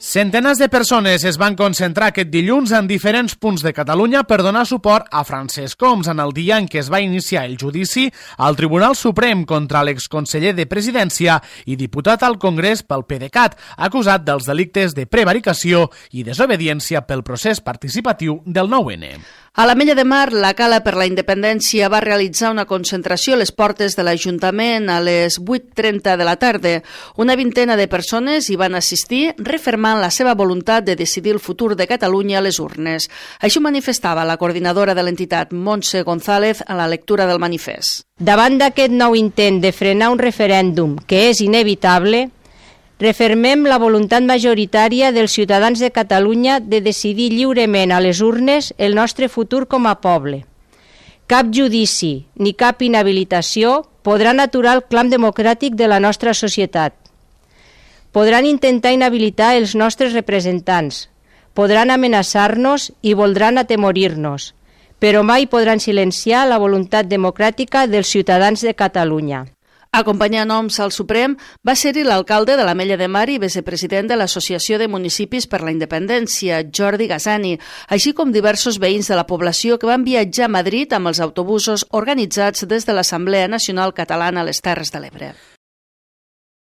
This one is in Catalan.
Centenars de persones es van concentrar aquest dilluns en diferents punts de Catalunya per donar suport a Francesc Homs en el dia en què es va iniciar el judici al Tribunal Suprem contra l'exconseller de Presidència i diputat al Congrés pel PDeCAT, acusat dels delictes de prevaricació i desobediència pel procés participatiu del 9-N. A l'Ametlla de Mar, la Cala per la Independència va realitzar una concentració a les portes de l'Ajuntament a les 8:30 de la tarda. Una vintena de persones hi van assistir, refermant la seva voluntat de decidir el futur de Catalunya a les urnes. Així ho manifestava la coordinadora de l'entitat, Montse González, a la lectura del manifest. Davant d'aquest nou intent de frenar un referèndum que és inevitable, refermem la voluntat majoritària dels ciutadans de Catalunya de decidir lliurement a les urnes el nostre futur com a poble. Cap judici ni cap inhabilitació podran aturar el clam democràtic de la nostra societat. Podran intentar inhabilitar els nostres representants, podran amenaçar-nos i voldran atemorir-nos, però mai podran silenciar la voluntat democràtica dels ciutadans de Catalunya. Acompanyant Homs al Suprem va ser-hi l'alcalde de l'Ametlla de Mar i vicepresident de l'Associació de Municipis per la Independència, Jordi Gassani, així com diversos veïns de la població que van viatjar a Madrid amb els autobusos organitzats des de l'Assemblea Nacional Catalana a les Terres de l'Ebre.